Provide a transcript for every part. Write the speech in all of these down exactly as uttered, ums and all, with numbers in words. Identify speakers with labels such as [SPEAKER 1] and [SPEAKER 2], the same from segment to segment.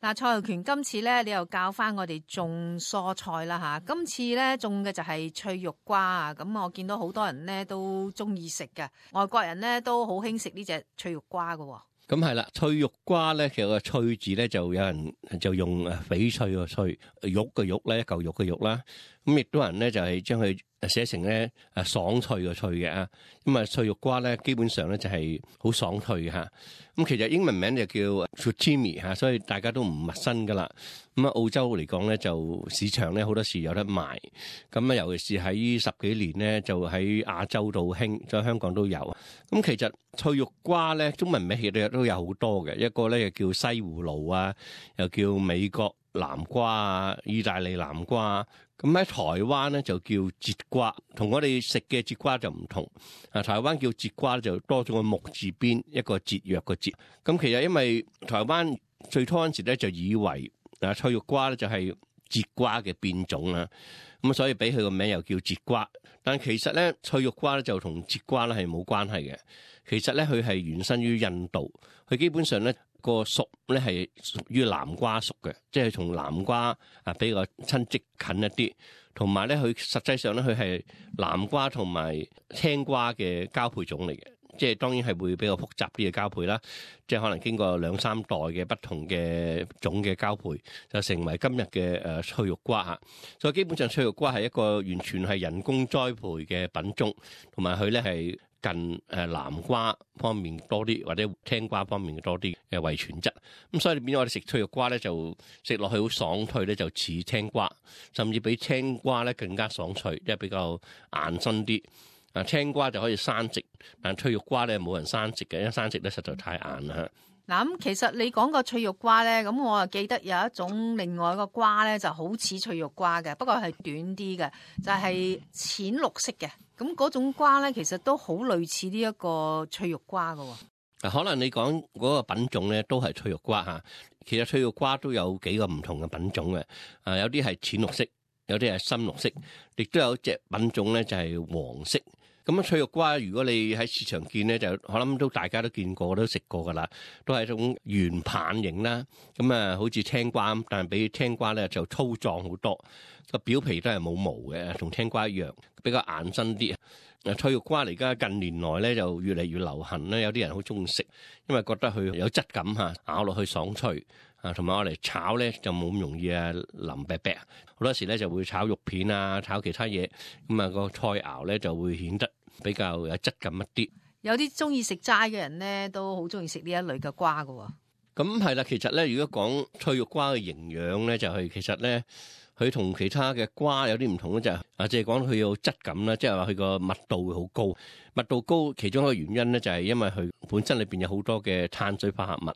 [SPEAKER 1] 嗱，蔡浩權，今次咧你又教翻我哋種蔬菜啦吓，今次咧種嘅就係翠玉瓜啊，咁我見到好多人咧都中意食嘅，外國人咧都好興食呢隻翠玉瓜嘅。
[SPEAKER 2] 咁係啦，翠玉瓜咧，其實個翠字咧就有人就用誒翡翠個翠，玉嘅玉咧，一嚿玉嘅玉啦。咁亦都有人咧就係將佢寫成咧誒爽脆嘅脆嘅啊。咁啊翠玉瓜咧基本上咧就係好爽脆嘅嚇。咁其實英文名就叫 Zucchini 嚇，所以大家都唔陌生噶啦。咁啊澳洲嚟講咧就市場咧好多時有得賣。咁啊尤其是喺十幾年咧就喺亞洲度興，在香港都有。咁其實翠玉瓜咧中文名其實都有好多嘅，一個咧又叫西葫蘆啊，又叫美國南瓜啊、意大利南瓜。咁喺台灣咧就叫節瓜，同我哋食嘅節瓜就唔同。啊，台灣叫節瓜就多咗個木字邊，一個節約個節。咁其實因為台灣最初嗰陣時咧就以為啊翠玉瓜咧就係節瓜嘅變種啦，咁所以俾佢個名又叫節瓜。但其實咧翠玉瓜咧就同節瓜咧係冇關係嘅。其實咧佢係原生於印度，佢基本上咧個屬咧係屬於南瓜屬嘅，即係同南瓜啊比較親戚近一啲。同埋咧佢實際上咧佢係南瓜同埋青瓜嘅交配種嚟嘅，即係當然係會比較複雜啲嘅交配啦，即係可能經過兩三代嘅不同嘅種嘅交配，就成為今日嘅誒翠玉瓜嚇。所以基本上翠玉瓜係一個完全係人工栽培嘅品種，同埋佢咧係近誒南瓜方面多啲，或者青瓜方面多啲嘅遺傳質。咁所以變咗我哋食翠玉瓜咧，就食落去好爽脆咧，就似青瓜，甚至比青瓜咧更加爽脆，即係比較硬身啲。啊，青瓜就可以生食，但翠玉瓜咧冇人生食嘅，因為生食咧實在太硬啦。
[SPEAKER 1] 嗱，咁其實你講個翠玉瓜咧，咁我啊記得有一種另外一個瓜咧，就好似翠玉瓜嘅，不過係短啲嘅，就係淺綠色嘅。咁嗰種瓜咧，其實都好類似呢一個翠玉瓜㗎喎。
[SPEAKER 2] 可能你講嗰個品種咧，都係翠玉瓜嚇。其實翠玉瓜都有幾個唔同嘅品種嘅，啊有啲係淺綠色，有啲係深綠色，亦都有隻品種咧就係黃色。咁啊，翠玉瓜如果你喺市場見咧，就我諗都大家都見過，都食過噶啦，都係一種圓棒形啦。咁啊，好似青瓜，但係比青瓜咧就粗壯好多，個表皮都係冇毛嘅，同青瓜一樣，比較硬身啲。啊，翠玉瓜嚟家近年來咧就越嚟越流行咧，有啲人好中意食，因為覺得佢有質感嚇，咬落去爽脆。啊，同埋我嚟炒咧就冇咁容易啊腍白白，好多時咧就會炒肉片啊，炒其他嘢，咁啊個菜肴咧就會顯得比較有質感一啲。
[SPEAKER 1] 有啲中意食齋嘅人咧，都好中意食呢一類嘅瓜㗎喎。
[SPEAKER 2] 咁係啦，其實咧，如果講翠玉瓜嘅營養咧，就係、是、其實咧，佢同其他嘅瓜有啲唔同咧，就係啊，即係講佢有質感啦，即係話佢個密度會好高，密度高其中一個原因咧，就係因為佢本身裏邊有好多嘅碳水化合物，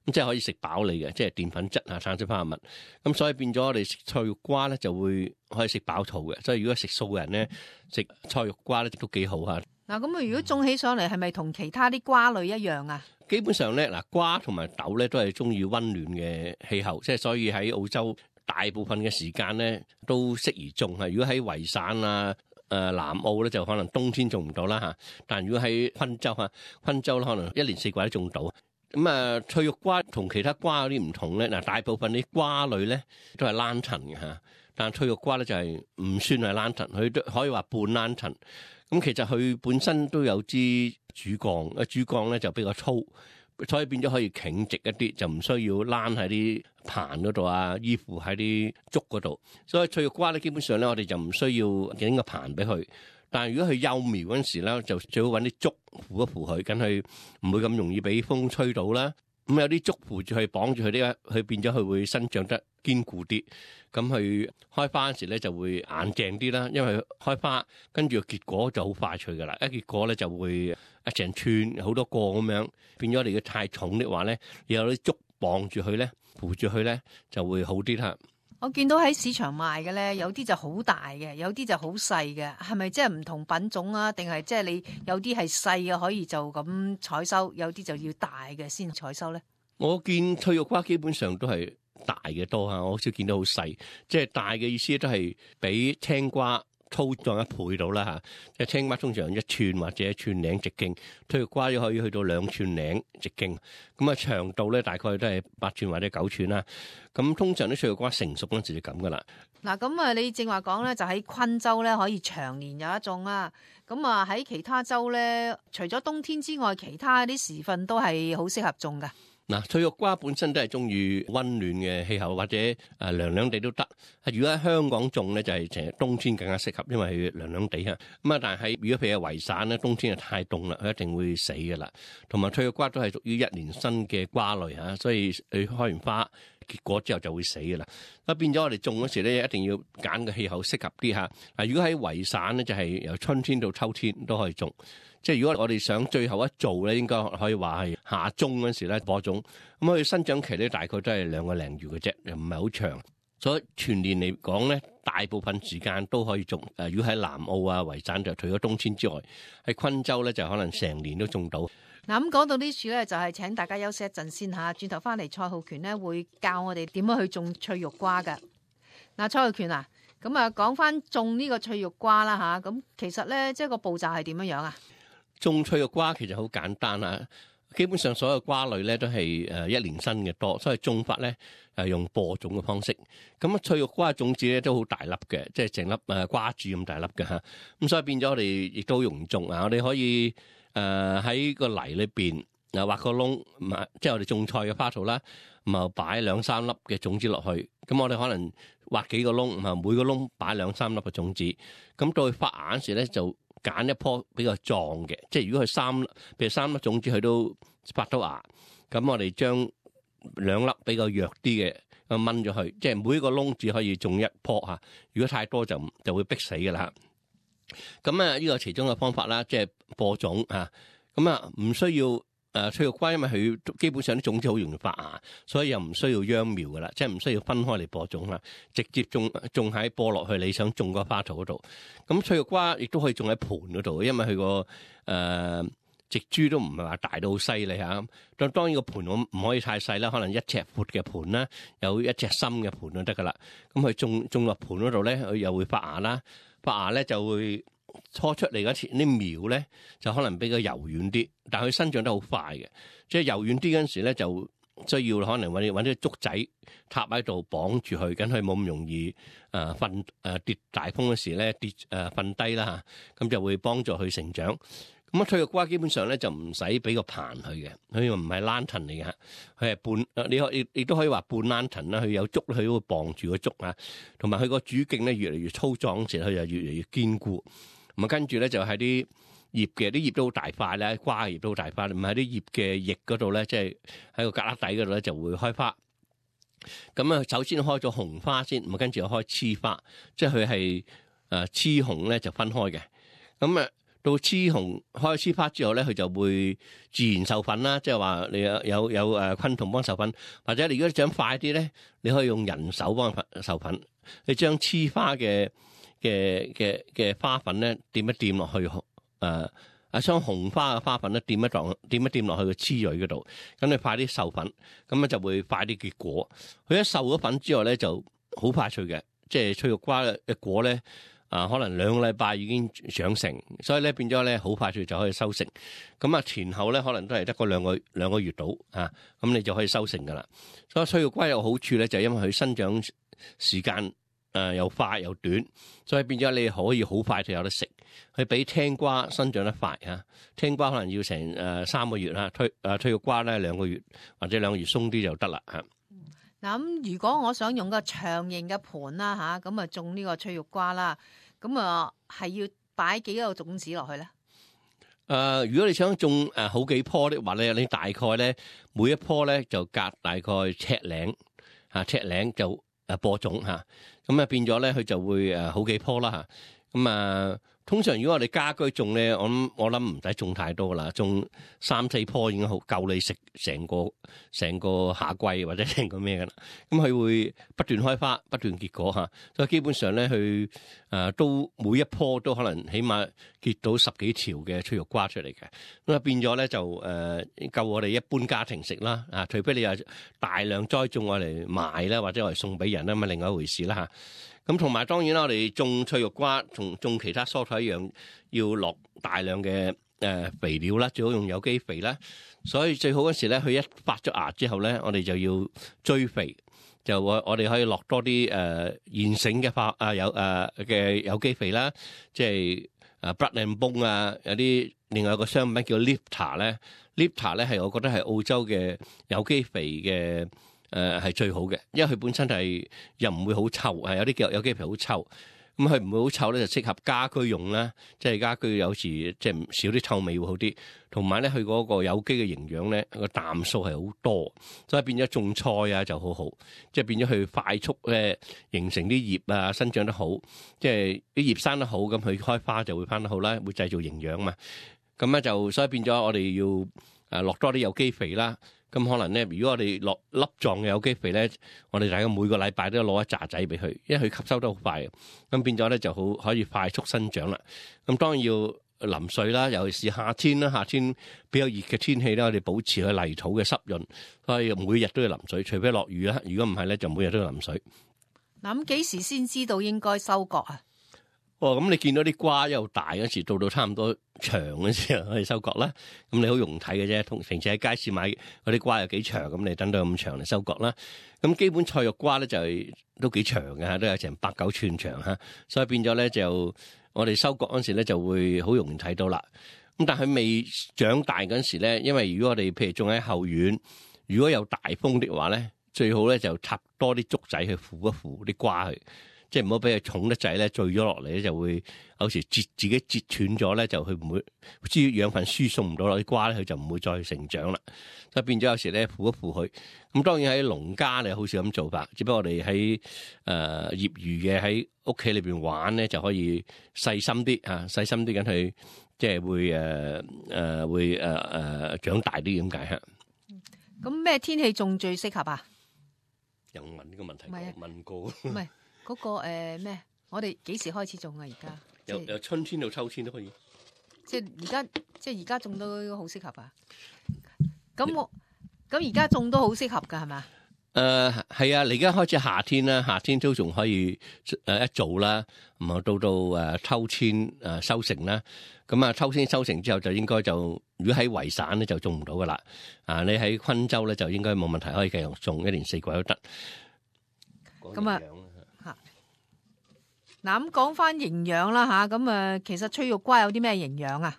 [SPEAKER 2] 咁即係可以食飽你嘅，即係澱粉質啊、碳水化合物，咁所以變咗我哋食翠玉瓜咧就會可以食飽肚嘅，所以如果食素嘅人咧食翠玉瓜咧都幾好嚇。
[SPEAKER 1] 嗱，咁啊，如果種起上嚟係咪同其他啲瓜類一樣啊？
[SPEAKER 2] 基本上咧，嗱瓜同埋豆咧都係中意溫暖嘅氣候，即係所以喺澳洲大部分嘅時間咧都適宜種啊。如果喺維省啊、誒南澳咧就可能冬天種唔到啦嚇，但如果喺昆州嚇，昆州咧可能一年四季都種到。咁啊，翠玉瓜同其他瓜有啲唔同咧，嗱大部分啲瓜類咧都係蘭藤嘅嚇，但翠玉瓜咧就係唔算係蘭藤，佢都可以話半蘭藤。咁其實佢本身都有支主幹，啊主幹咧就比較粗，所以變咗可以挺直一啲，就唔需要躝喺啲棚嗰度啊，依附喺啲竹嗰度。所以翠玉瓜咧，基本上咧我哋就唔需要整個棚俾佢。但係如果佢幼苗嗰陣時咧，就最好揾啲竹扶一扶佢，咁佢唔會咁容易俾風吹到啦。咁有啲竹扶住佢，綁住佢啲，佢變咗佢會生長得堅固啲。咁佢開花嗰時咧就會硬淨啲啦，因為開花跟住結果就好快脆噶啦。一結果咧就會一成串好多個咁樣，變咗你如果太重的話咧，有啲竹綁住佢咧，扶住佢咧就會好啲啦。
[SPEAKER 1] 我見到喺市場賣嘅咧，有啲就好大嘅，有啲就好細嘅，係咪即係唔同品種啊？定係即係你有啲係細嘅可以就咁採收，有啲就要大嘅先採收咧？
[SPEAKER 2] 我見翠玉瓜基本上都係大嘅多啊，我好少見到好細。即係大嘅意思都係比青瓜粗壯一倍到啦嚇。即係青瓜通常一寸或者一寸零直徑，翠玉瓜可以去到兩寸零直徑。咁啊長度咧大概都係八寸或者九寸啦。咁通常啲翠玉瓜成熟嗰陣時就咁噶啦。
[SPEAKER 1] 嗱，咁啊，你正話講咧，就喺昆州咧可以長年有一種啦。咁啊喺其他州咧，除咗冬天之外，其他啲時分都係好適合種噶。
[SPEAKER 2] 嗱，翠玉瓜本身都係中意溫暖嘅氣候，或者誒涼涼地都得。如果喺香港種咧，就係成日冬天更加適合，因為佢涼涼地啊。咁啊，但係如果譬如維省咧，冬天就太凍啦，佢一定會死噶啦。同埋翠玉瓜都係屬於一年生嘅瓜類嚇，所以佢開完花結果之後就會死噶啦。咁變咗我哋種嗰時咧，一定要揀個氣候適合啲嚇。嗱，如果喺維省咧，就係由春天到秋天都可以種。即係如果我哋想最後一做咧，應該可以話係夏中嗰時咧播種，咁佢生長期咧大概都係兩個零月嘅啫，又唔係好長。所以全年嚟講咧，大部分時間都可以種。誒，如果喺南澳啊、維省就除咗冬天之外，喺昆州咧就可能成年都種到。
[SPEAKER 1] 嗱，咁講到呢處咧，就係請大家休息一陣先嚇，轉頭翻嚟蔡浩權咧會教我哋點樣去種翠玉瓜㗎。嗱，蔡浩權啊，咁啊講翻種呢個翠玉瓜啦嚇，咁其實咧即係個步驟係點樣樣啊？
[SPEAKER 2] 種翠玉瓜其實好簡單啊，基本上所有瓜類咧都係誒一年生嘅多，所以種法咧誒用播種嘅方式。咁啊翠玉瓜種子咧都好大粒嘅，即係成粒誒瓜子咁大粒嘅嚇。咁所以變咗我哋亦都好容易種啊！我哋可以誒喺個泥裏邊啊挖個窿，即係我哋種菜嘅花槽啦，咁啊擺兩三粒嘅種子落去。咁我哋可能挖幾個窿，啊每個窿擺兩三粒嘅種子。咁到佢發芽嗰時咧就揀一棵比較壯嘅，即係如果佢三，譬如三粒種子佢都發到芽，咁我哋將兩粒比較弱啲嘅咁掹咗佢，即係每一個窿只可以種一棵嚇。如果太多就就會逼死㗎啦。咁啊，呢個其中嘅方法啦，即係播種嚇。咁啊，唔需要誒翠玉瓜，因為佢基本上啲種子好容易發芽，所以又唔需要秧苗噶啦，即係唔需要分開嚟播種啦，直接種種喺播落去你想種個花槽嗰度。咁翠玉瓜亦都可以種喺盆嗰度，因為佢個誒植株都唔係話大到好犀利嚇。當當然個盆我唔可以太細啦，可能一尺闊嘅盆啦，有一尺深嘅盆就得噶啦。咁佢種種落盆嗰度咧，佢又會發芽啦，發芽咧就會初出嚟嗰時啲苗咧就可能比較柔軟啲，但係佢生長得好快嘅，即係柔軟啲嗰陣時咧就需要可能揾揾啲竹仔插喺度綁住佢，咁佢冇咁容易誒瞓誒跌大風嗰時咧跌誒瞓低啦嚇，咁就會幫助佢成長。咁啊翠玉瓜基本上咧就唔使俾個棚佢嘅，佢唔係蘭藤嚟嘅，佢係半你可亦亦都可以話半蘭藤啦，佢有竹佢都會綁住個竹啊，同埋佢個主徑咧越嚟越粗壯時，佢就越嚟越堅固。咁啊，跟住咧就喺啲葉嘅，啲葉都好大塊咧，瓜嘅葉都好大塊。唔喺啲葉嘅葉嗰度咧，即係喺個格旯底嗰度咧就會開花。咁啊，首先開咗紅花先，咁啊跟住又開雌花，即係佢係誒雌紅咧就分開嘅。咁啊，到雌紅開雌花之後咧，佢就會自然授粉啦，即係話你有有有誒昆蟲幫授粉，或者你如果想快啲咧，你可以用人手幫佢授粉。你將雌花嘅嘅嘅嘅花粉咧，掂一掂落去，誒啊將紅花嘅花粉咧，掂一檔，掂一掂落去個雌蕊嗰度，咁你快啲授粉，咁咧就會快啲結果。佢一授咗粉之後咧，就好快脆嘅，即係翠玉瓜嘅果咧，啊可能兩個禮拜已經長成，所以咧變咗咧好快脆就可以收成。咁啊前後咧可能都係得個兩個兩個月到啊，咁你就可以收成噶啦。所以翠玉瓜有好處咧，就係因為佢生長時間。誒、呃、又快又短，所以變咗你可以好快就有得食。佢比青瓜生長得快嚇，青瓜可能要成誒、呃、三個月啦，翠誒翠玉瓜咧兩個月或者兩個月鬆啲就得啦嚇。
[SPEAKER 1] 嗱咁，如果我想用個長形嘅盤啦嚇，咁啊種呢個翠玉瓜啦，咁啊係要擺幾個種子落去咧？誒、
[SPEAKER 2] 呃，如果你想種誒好幾棵的話咧，你大概咧每一棵咧就隔大概尺零嚇，尺零就誒播種嚇。咁啊變咗咧，佢就會誒好幾棵啦嚇。咁啊，通常如果我哋家居種咧，我諗我諗唔使種太多啦，種三四棵已經好夠你食成個成個夏季或者成個咩噶啦。咁佢會不斷開花，不斷結果嚇。所以基本上咧，佢誒都每一棵都可能起碼結到十幾條嘅翠玉瓜出嚟嘅。咁啊變咗咧就誒夠我哋一般家庭食啦。啊，除非你有大量栽種我嚟賣啦，或者我嚟送俾人啦，咁啊另外一回事啦嚇。咁同埋當然啦，我哋種翠玉瓜同種其他蔬菜一樣，要落大量嘅誒肥料啦，最好用有機肥啦。所以最好嗰時咧，佢一發咗芽之後咧，我哋就要追肥，就我我哋可以落多啲誒現成嘅化啊有誒嘅有機肥啦，即係誒 Blood and Bone 啊，有啲另外有個商品叫 Lipta 咧 ，Lipta 咧係我覺得係澳洲嘅有機肥嘅誒係最好嘅，因為佢本身係又唔會好臭，係有啲叫有機肥好臭。咁佢唔會好臭咧，就適合家居用啦。即係家居有時即係少啲臭味會好啲，同埋咧佢嗰個有機嘅營養咧個氮素係好多，所以變咗種菜啊就好好，即係變咗佢快速咧形成啲葉啊生長得好，即係啲葉生得好，咁佢開花就會翻得好啦，會製造營養嘛。咁咧就所以變咗我哋要誒落多啲有機肥啦。咁可能咧，如果我哋落粒狀嘅有機肥咧，我哋大概每個禮拜都要攞一紮仔俾佢，因為佢吸收得好快嘅，咁變咗咧就好可以快速生長啦。咁當然要淋水啦，尤其是夏天啦，夏天比較熱嘅天氣咧，我哋保持佢泥土嘅濕潤，所以每日都要淋水，除非落雨啦。如果唔係咧，就每日都要淋水。
[SPEAKER 1] 嗱，咁幾時先知道應該收割啊？
[SPEAKER 2] 哦，咁你見到啲瓜又大嗰時，到到差唔多長嗰時候可以收割啦。咁你好容易睇嘅啫，同平時喺街市買嗰啲瓜有幾長，咁你等到咁長嚟收割啦。咁基本菜肉瓜咧就係都幾長嘅嚇，都有成八九寸長嚇，所以變咗咧就我哋收割嗰時咧就會好容易睇到啦。咁但係未長大嗰時咧，因為如果我哋譬如種喺後院，如果有大風的話咧，最好咧就插多啲竹仔去扶一扶啲瓜去。即係唔好俾佢重得滯咧，墜咗落嚟咧就會有時截自己截斷咗咧，就佢唔會知養分輸送唔到落啲瓜咧，佢就唔會再成長啦。所以變咗有時咧扶一扶佢。咁當然喺農家你好少咁做法，只不過我哋喺誒業餘嘅喺屋企裏邊玩咧就可以細心啲啊，細心啲咁去即係會誒誒、呃、會誒誒、呃呃、長大啲咁解嚇。
[SPEAKER 1] 咁咩天氣種最適合啊？
[SPEAKER 2] 又問呢個問題，
[SPEAKER 1] 唔係啊
[SPEAKER 2] 問過
[SPEAKER 1] 唔係嗰個誒咩？我哋幾時開始種啊？而家
[SPEAKER 2] 由由春天到秋天都可以。
[SPEAKER 1] 即係而家，即係而家種都好適合啊！咁我咁而家種都好適合噶，係嘛？
[SPEAKER 2] 誒係啊！你而家開始夏天啦，夏天都仲可以誒一做啦，咁啊到到誒秋天誒收成啦。咁啊秋天收成之後就應該就，如果喺維省咧就種唔到噶啦。啊，你喺昆州咧就應該冇問題，可以繼續種，一年四季都得。
[SPEAKER 1] 咁啊嚇嗱，咁講翻營養啦嚇，咁啊其實翠玉瓜有啲咩營養啊？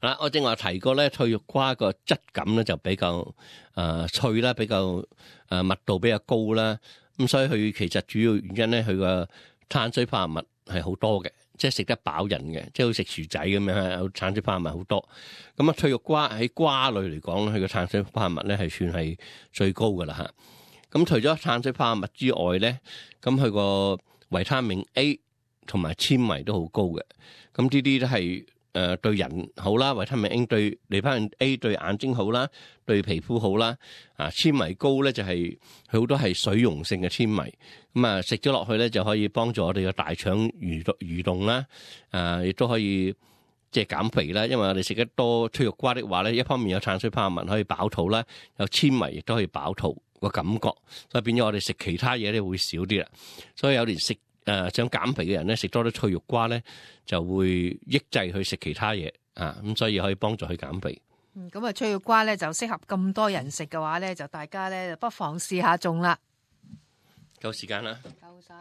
[SPEAKER 2] 嗱，我正話提過咧，翠玉瓜個質感咧就比較誒、呃、脆啦，比較誒、呃、密度比較高啦。咁所以佢其實主要原因咧，佢個碳水化合物係好多嘅，即係食得飽人嘅，即係好似食薯仔咁樣，有碳水化合物好多。咁啊，翠玉瓜喺瓜類嚟講咧，佢個碳水化合物咧係算係最高噶啦嚇。咁除咗碳水化合物之外咧，咁佢個維他命 A 同埋纖維都好高嘅。咁呢啲都係誒對人好啦，維他命 A 對維他命 A 對眼睛好啦，對皮膚好啦。啊，纖維高咧就係佢好多係水溶性嘅纖維，咁啊食咗落去咧就可以幫助我哋嘅大腸蠕動蠕動啦。啊，亦都可以即係減肥啦，因為我哋食得多翠玉瓜的話咧，一方面有碳水化合物可以飽肚啦，有纖維亦都可以飽肚個感覺，所以變咗我哋食其他嘢咧會少啲啦。所以有啲食誒、呃、想減肥嘅人咧，食多啲翠玉瓜咧，就會抑制去食其他嘢啊，咁所以可以幫助佢減肥。
[SPEAKER 1] 嗯，咁啊翠玉瓜咧就適合咁多人食嘅話咧，就大家咧不妨試下種啦。
[SPEAKER 2] 夠時間啦。
[SPEAKER 1] 夠晒。